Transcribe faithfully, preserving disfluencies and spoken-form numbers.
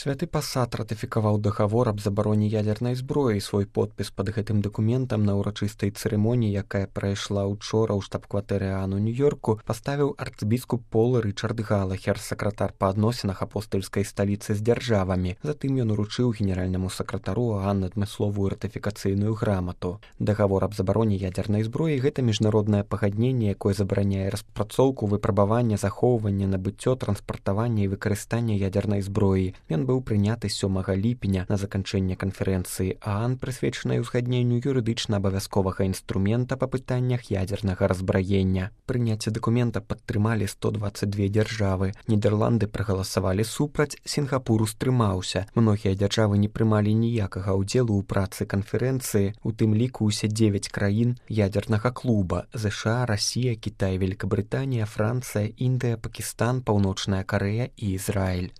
Святы пасад ратыфікаваў дагавор аб забароне ядзернай зброі. Свой подпіс пад гэтым дакументам на ўрачыстай цырымоніі, якая прайшла ўчора ў штаб-кватэры ААН у Нью-Йорку, паставіў арцбіскуп Пол Рычард Галахер, сакратар па адносінах апостальскай сталіцы з дзяржавамі. Затым ён уручыў генеральнаму сакратару ААН адмысловую ратыфікацыйную грамату. Дагавор аб забароне ядзернай зброі — гэта міжнароднае пагадненне, якое забараняе распрацоўку, выпрабаванне, захоўванне, набыццё, транспартаванне і выкарыстанне ядзернай зброі. Ён быў прыняты сёмага ліпеня на заканчэнне канферэнцыі ААН, прысвечанай узгадненню юрыдычна абавязковага інструмента па пытаннях ядзернага разбраення. Прыняцце дакумента падтрымалі сто дваццаць дзве дзяржавы. Нідерланды прагаласавалі супраць, Сінгапур устрымаўся. Многія дзяржавы не прымалі ніякага ўдзелу ў працы канферэнцыі, у тым ліку ўсе дзевяць краін ядзернага клуба: ЗША, Расія, Кітай, Великабрытанія, Францыя, Індыя, Пакістан, Паўночная Карэя і Ізраіль.